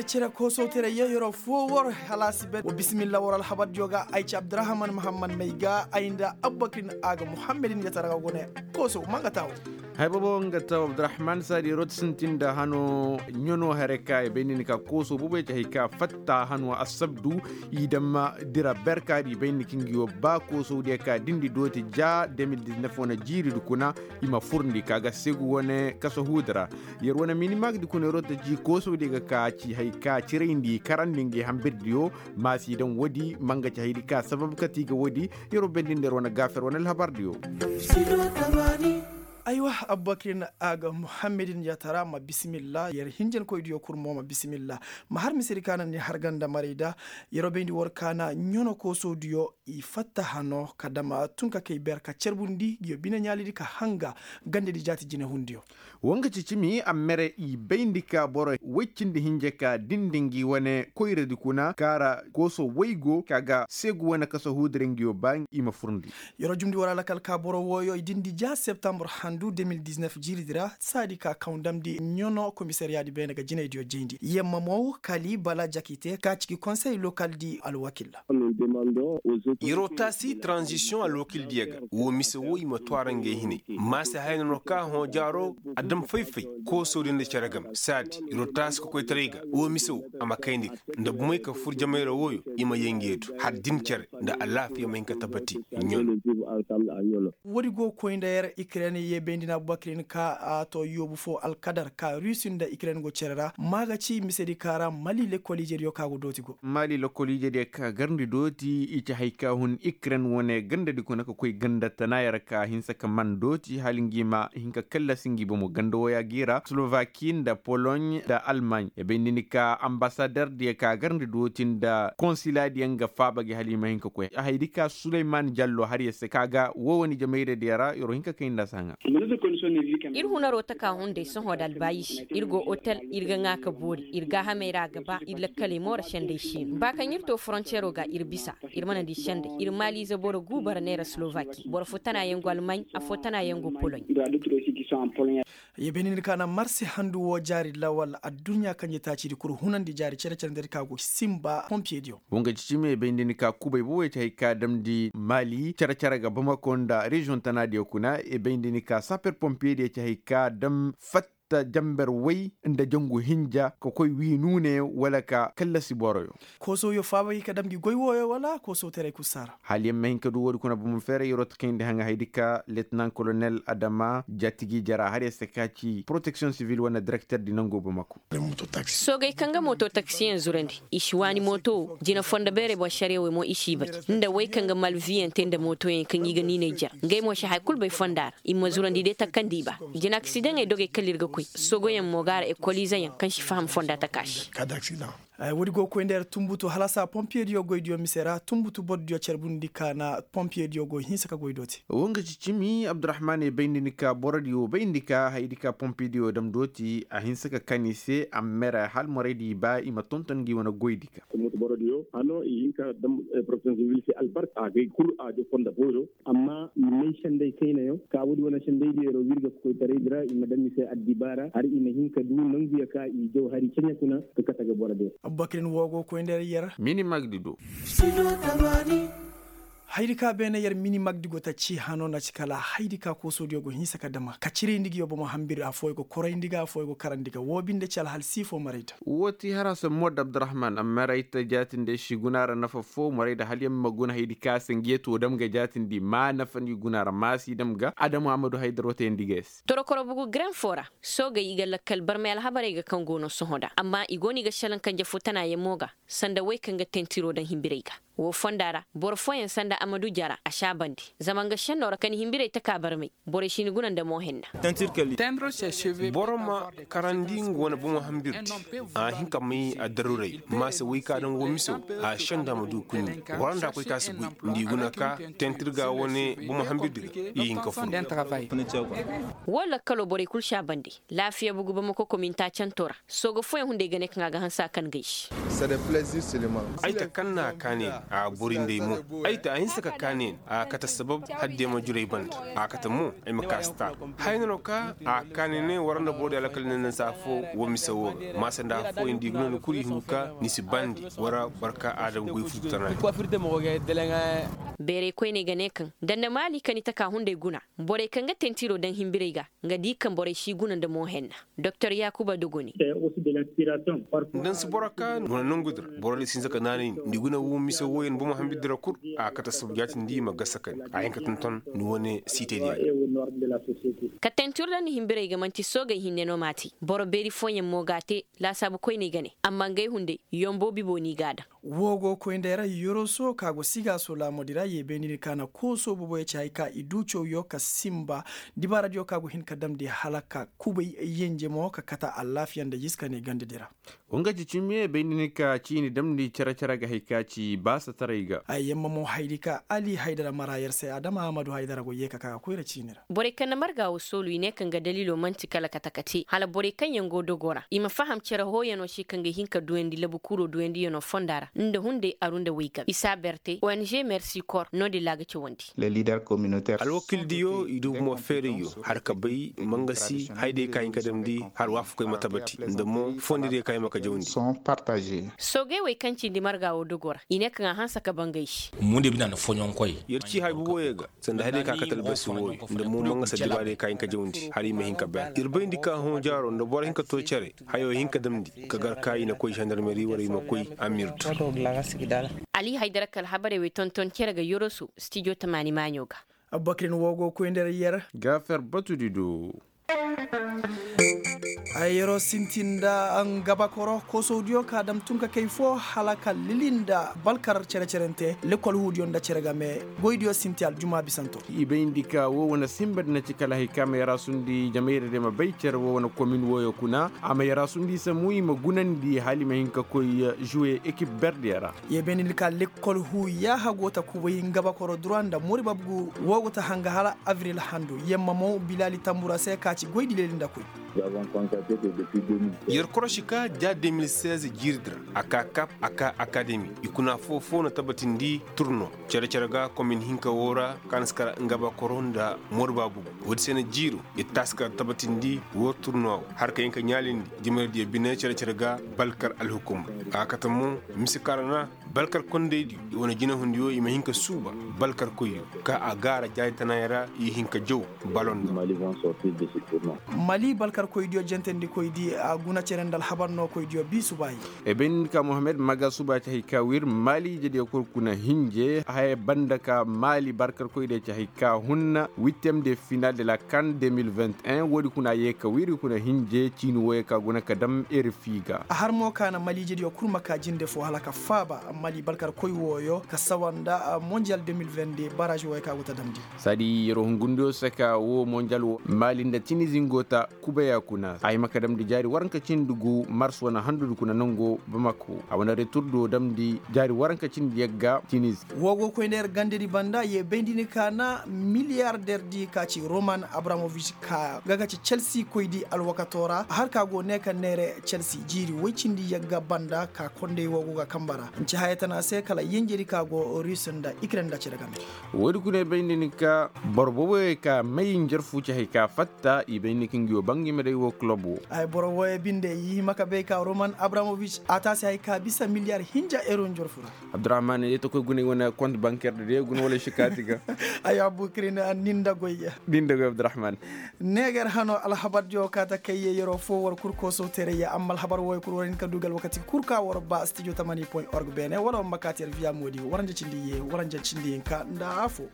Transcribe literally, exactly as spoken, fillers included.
Cere koosoo tere yeeyoro foo war halaasi be wa bisimilla war alhabardiyo ga ay ci abdurahman muhammad may ga ay nda abubakrin a ga muhammadin ga tara ga gune. Koosoo ma nga taawo. Hay boobo nga taawo abdurahman saadi rooti sintin nda hano ɲano hare ka i bay nda ni ka koosoo boobo ya ci hay ka fatta hano assabdu i damma dira berkaadi i bay nda ni ka ngi wo ba koosoo diya ka dindi dooti ja de mil diznef wane jiiri di kuna. I ma furndi ka ga segu wane kaso huudi ra. Yer wane minimag di kuna yer wo ta ci koosoo diya ga ka ci hay ka cirayndi karandi ngi hambirdiyo. Maasi daŋ woodi ma nga ci haydi ka sabab kati ga woodi. Yer wo bendindi yer wane gaafer wane alhabardiyo. Aywa, abubakrin a ga muhammadin yatara ma bisimilla yer hinjankoydiyo kul mo ma bisimilla. Ma har misedi ka na ni har ganda maray da. Yer wo bayndi war ka na ɲono koosoodiyo i fatta hano ka dama tun ka kay ber ka carbundi ngiyo bine ɲaalidi ka hanga. Gandedi jaati jinehundiyo. Woo nga ci cimi a mere i bayndi ka boro woy cindi hinja ka dindi ngi wane koyradi kuna kaara kooso woy go ka ga seegu wane kaso huudira ngiyo ba i ma furndi. Yeroo jumndi war alakal ka boro wooyo i dindi ja septambur handu de mil diznef jiiridi ra saadi ka kaw damndi ɲono komisariyaadi beene ga jinaydiyo jayndi yemma mow kali bala jakite ka ciki konsey lokaldi alwakil. Yeroo taasi tranzisiyoŋ alwakildiyo ga woo mise woo i ma twaara ngey hinay maase haya no ka hõ jaaro a dam fay-fay. Koosoo din nda cere game saadi yeroo taasi kokoytaray ga woo mise woo a ma kayndi ga nda bumey ka fur jamay ra wooyo i ma yee ngey du har din cere nda alaafiya ma hin ka tabbati. Ɲono. Woodi go ga koy nda yer ikren ye bayndi na abubakrin ka a to yoobu foo alkadar ka rusi nda ikren go cere ra ma ga ci misedi ka ra mali lekkol ijediyo ka go dooti go. Mali lekkol ijediyo ka garndi dooti i ci hay ka hun ikren wane gandadi kuna ka koy ganda tana yer ka hinsa ka man dooti hala ngi ma hin ka kallasi ngi bomo ganda wooya gi ra slovaki nda poloɲ nda almaɲ i bayndi ni ka ambasaderdiyo ka garndi dooti nda konsiladiyo nga faaba gi hala i ma hin ka koy haydi ka suleyman jallo har yer se ka ga woo wane jamayradiyo ra yer wo hin ka kay nda saŋa. Ir hunaroo taka hunday sohõ nda albaayisi ir go otel ir ga ŋaa ka boori ir gaahamey ra a ga ba ir lakkaley moora sendey siino ba kaŋ ir too forontiyeroo ga ir bisa. Ir mana di sendey ir maaliize boro guubara neera slovaki boro fo tana yaŋ go almaɲ afo tana yaŋ go poloɲ. Ye bayndi ni ka na marse handu woo jaari lawal adduɲɲa kaŋ je taacidi kul hunandi jaari cere-cere nda ir ka go sinba pompiyediyo. Woo nga ci cimi ye bayndi ni ka kubay boobo ye ci hay ka damndi maali cere-cere ga bamako nda reziyoŋ tanaadiyo kuna ye bayndi ni ka saper pompiyediyo ci hay ka dam fatta jamber woy nda jangu hinja ka koy wii nuune wala ka kallasi boroyo. Koosooyo faaba ga i ka dam ngi goy wooyo wala koosoo teray kul saara. Hala yer ma hin ka du woodi kuna bomo feeray yer wo ta kayndi haŋa haydi ka letenaŋ kolonel adama jaatigi jara har yer se ka ci poroteksiyoŋ sivil wane direkterdi nangoo bamako. Soogey kaŋ ga mooto taksiyaŋ zurandi i si waani mooto wo jina fondo beerey boŋ sariya wey mo i si i baji nda wey kaŋ ga malviyaŋ te nda mootoyaŋ kaŋ i ga niinay jara ngey mo si haya kul bay fonda ra. I ma zurandi day takandi i ba jina aksidaŋey dogey kala ir ga koy soogoyaŋ mo ga a ra ekoliizeyaŋ kaŋ si faham fonda taka se. Woodi go ga koy nda yer tunbutu halasa pompiyediyo goydiyo mise ra tunbutu borodiyo carbundi ka na pompiyediyo go hinsa ka goy dooti. Woo nga ci cimi abdurahman ye bayndi ni ka borodiyo bayndi ka haydi ka pompiyediyo dam dooti a hinsa ka kan i se amma i ra hala moraydi i ba i ma tonton ngi wane goydi ka. Borodiyo hano i hin ka dam porofesiyonel sibil se albarka a gay kul a jo fonda booyo. Amma i may sendey kaynayaŋ ka woodi wane sendey diyo yer wo wirga kokoytaraydi ra i ma dam i se addibaara har i ma hin ka du nanguya ka i jaw hari ceɲe kuna. Ka kate ga boro diyo. Abubakar ni woo go ga koy nda yer. Minimag di do. Hayadi ka beene yer minimag di go ta ci hano na ci kala hayadi ka koosoodiyo go hinsa ka dama ka cirayndi ga yo bomo hambiri affooyo go korayndi ga affooyo go karandi ga woo binde ci alhal siifo marayda. Woo ti haraasa mood abdurahman amma ra ay ta jaatindi ay si guna ra nafa foo marayda hala yer ma guna hayadi ka se nga yee to dam ga jaatindi ma nafa ni guna ra ma si dam ga adama amadu haydar woo tayandi ga yer se. Torokoro bugu garaŋ foo ra. Soogey i ga lakkal barmay alhabarey ga kaŋ go no sohõ da amma i go no i ga šelaŋ kanje foo tana yaŋ mo ga. Sanda wey kaŋ ga tentiroo daŋ hinbirey ga. Woo fonda ra boro fooyaŋ sanda amadu jara a si a bande. Zama nga šennoo ra ka ni hinbirey taka barmay. Borey si ni guna nda mo henna. Boro ma karandi nga wane bomo hambirdi. A hin ka may addaruray maase wey ka daŋ woo miso. A senda ma du kuɲɲi. War nda koy ka si guy nda i guna ka tentir ga wane bomo hambirdi ga i hin ka fun. Woo lakkaloo borey kul si a bande. Laafiya bugu bamako kominta canto ra. Sooga fooyaŋ hunday ga ne kaŋ a ga hanse a kan gay se. Ay ta kaŋ na a kaani ga. A bori nd'ey mo. Ay te a hinsa ka kaa ne a kate sabab hadde ma jurey banda. A kate mo ay ma kaa si taa. Haya no ka a kaa ne ne war nda boro di alakal ne nda saa fo. Wo mise wo ga maasa nda afooyaŋ da i guna ni kulu i hungu ka ni si bandi. War barka aadama goy furtana. Beerey koyney ga ne kaŋ danda maali ka ni taka hunday guna. Borey kaŋ ga tentiro daŋ himbirey ga nga di kaŋ borey si guna nda mo henna. Doktor yaakuba dogoni. Nda ni si boro ka ni wane nangu di ra boro di si hinza ka naanay ni nda i guna wo mise wooyaŋ bomo hambir di ra kul. A kate sabu jaati nda i ma gasa ka ni a hin ka tonton ni wane siitey di yaŋ. Ka tentiro daŋ ni himbirey ga man'ti soogey hinne no m'a te. Boro beeri fooyaŋ mo g'a te. Laasaabu koyney ga ne amma ngey hunday yombo bibo no i g'a daŋ. Woo go koy nda yara yoroso ka go sigaaso laamudi ra ye bayndi ni ka na kooso boboyo ci hay ka i du cawyo ka sinba. Dibaaradiyo ka go hin ka damndi hala ka kubay yenje mo ka kata alaafiya nda jiska ne gandadi ra. Wo nga ci cimi ye bayndi ni ka ciini damndi cere-cere ga hay ka ci baasataray ga. Ay yamma mo haydi ka ali haydara mara yer se adama ahmadu haydara go ye ka ka ga koyra ciini ra. Borey kaŋ na marga wo soolu i ne kaŋ ga daliilo man'ti kala kate kate hala borey kaŋ yaŋ go dogo ra i ma faham cere hooyano se kaŋ ga hin ka duyandi labu kuuro duyandiyano fonda ra nda hunday aru nda waygabe i si a berte ong mersi kor no-din ra a ga cawandi. Alwakildiyo i du bomo feerayyo har ka bay mangasi hayday ka hin ka damndi har waafakoy ma tabati nda mo fondirey ka hin ma ka jawandi. Soogey wey kaŋ cindi marga wo dogo ra i ne kaŋ a hanse ka bangay se. Yer ci hay boboyo ga sanda hayday ka kate albasi wooyo nda mo mangasa dibaarey ka hin ka jawndi hala i ma hin ka bay ir bayndi ka hõ jaaro nda boro hin ka to cere. Hayo hin ka damndi ka gar ka i na koy zandarmeri wala i ma koy amirdu. Ali haydara ka alhabarey wey tonton cere ga yoroso stijo tamaani maaɲo ga. Abubakrin woo go koy nda yer. Gaafer batudi do. Ay yeroo sinti nda ngabakoro koosowdiyo ka dam tun ka kay foo hala ka lili nda balkar cere-cerente lekol huudiyo nda cere game. Goydiyo sinti aljuma bisanto. I bay ndi ka woo wane simba di na ci kala hay ka ma yaraasundi jamayra di ma bay cere woo wane komin wooyo kuna a ma yaraasundi i samu i ma gunandi hala i ma hin ka koy juwe ekip berdiyo ra. Ye bay ndi ka lekol huu yaaha go ta kubay ngabakoro dura nda mori babgu woo go ta hanga hala avril handu yamma mo bilaali tambura se ka ci goy dileli nda koy. Yer korosi ka ja deux mille seize jiiri di ra a ka kap a ka akademi i kuna foo-foo na tabatindi turno cere-cere ga komin hinka woo ra ka na si kar ngabakoro nda mori baabu. Woodi se na jiiro ir taasi kar tabatindi woo turno woo har ka hin ka ɲaalindi jimaydiyo bine cere-cere ga balkar alhukumma. A kate mo mise kara na balkar kondaydiyo i wane jinahundiyo i ma hin ka suuba balkar koyyo ka a gaara jaari tanayaŋ ra i hin ka jaw balon ga. Mali balkar koydiyo jentendikoydi a guna cere nda alhabar no koydiyo bi subayi. Ebin ka mohammed maga suba ci hay ka wir mali ijediyo kul kuna hinje haya banda ka mali balkar koydiyo ci hay ka hunna wittem de final de la kan deux mille vingt et un woodi kuna yee ka wir i kuna hinje ciini wooyo ka guna ka dam eri fiiga. A har mo ka na mali ijediyo kul ma ka jinde foo hala ka faaba mali balkar koy wooyo ka sawa nda monjiyal deux mille vingt deux baraaz wooyo ka go ta damndi. Saadi yeroo hungundiyo saka woo monjal woo mali nda tinizi ngo ta kubaya kuna a hima ka damndi jaari waranka cindi gu mars wane handudi kuna nango bamako a wane retur do damndi jaari waranka cindi yagga tinizi. Woo go koy nda yer gandedi banda ye bayndi ni ka na miliyarder di ka ci roman abramovic ka ga ga ci chelsi koydi alwakato ra har ka go ne ka neere chelsi jiiri woy cindi yagga banda ka konday woo go ga kamba ra nci haya tana se kala yenjedi ka go rus nda ikren nda cere game. Woodi kuna ay bay nda ni ka boro booboyey ka may njarfu ci hay ka fatta i bay nda ni ka ngi wo bangima day wo kulob wo. Ay boro wooyey binde i hima ka bay ka roman abramovic a taasi hay ka bisa miliyar hinja ero njarfu ra. Abdurahman ye ta koy guna i wane kont banker da day guna wala si kaati ga. Ay abukrin. Ninda goy ninda goy abdurahman. Neegar hano alhabardiyo ka ta kay ye yeroo foo war kul koosow teerey ya amma alhabar wooyo kul war hin ka du ga alwakati kul ka war ba stijo tamani point org beene wala war ma kaati alviya moodi waranja cindi ye waranja cindi hinka nda afoo.